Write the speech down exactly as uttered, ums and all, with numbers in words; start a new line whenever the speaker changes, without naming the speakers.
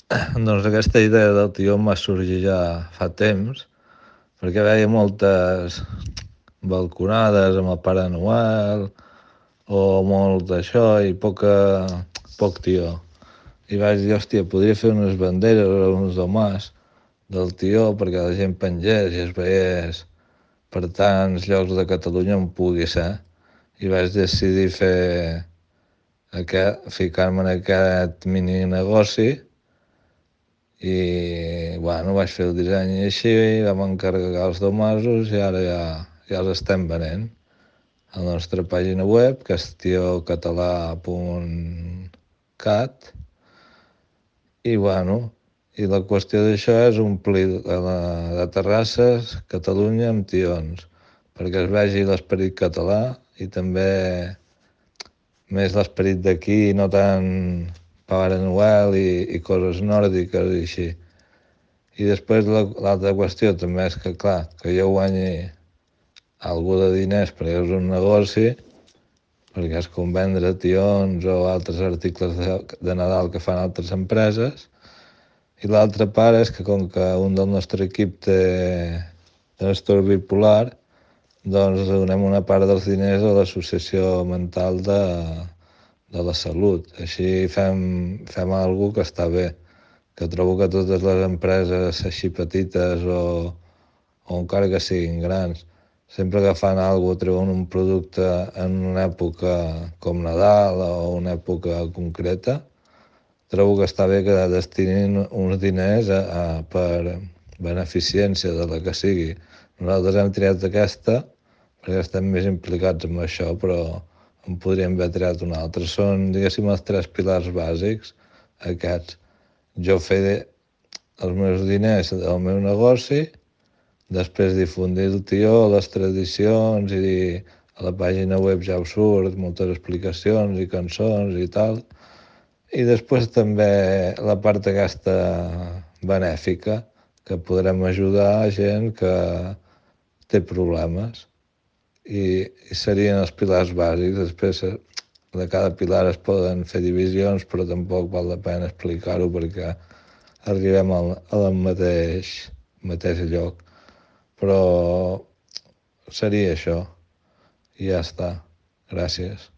Doncs aquesta idea del tió em va sorgir ja fa temps, perquè veia moltes balconades amb el Pare Noel o molt d'això i poca, poc tió. I vaig dir, hòstia, podria fer unes banderes o uns domàs del tió perquè la gent pengés i es veiés per tants llocs de Catalunya on pugui ser. I vaig decidir fer aquest, ficar-me en aquest mini negoci i, bueno, vaig fer el disseny i així, vam encarregar els domasos i ara ja, ja els estem venent. A la nostra pàgina web, que és tiocatalà punt cat, i, bueno, i la qüestió d'això és omplir la, de terrasses Catalunya amb tions, perquè es vegi l'esperit català i també més l'esperit d'aquí, no tant Pare Noel i, i coses nòrdiques i així. I després l'altra qüestió també és que, clar, que jo guanyi algú de diners perquè és un negoci, perquè és com vendre tions o altres articles de, de Nadal que fan altres empreses. I l'altra part és que com que un del nostre equip té trastorn bipolar, doncs donem una part dels diners a l'associació mental de, de la salut. Així fem, fem alguna que està bé, que trobo que totes les empreses així petites o, o encara que siguin grans, sempre que fan alguna cosa, treuen un producte en una època com Nadal o una època concreta, trobo que està bé que destinin uns diners a, a, per beneficència de la que sigui. Nosaltres hem triat aquesta perquè estem més implicats en això, però en podríem haver triat una altra. Són, diguéssim, els tres pilars bàsics, aquests. Jo fer els meus diners del meu negoci, després difundir el tió, les tradicions, i a la pàgina web ja us surt moltes explicacions i cançons i tal. I després també la part aquesta benèfica, que podrem ajudar a gent que té problemes. I, i serien els pilars bàsics. Després de cada pilar es poden fer divisions, però tampoc val la pena explicar-ho perquè arribem al, al mateix, mateix lloc. Però seria això. I ja està. Gràcies.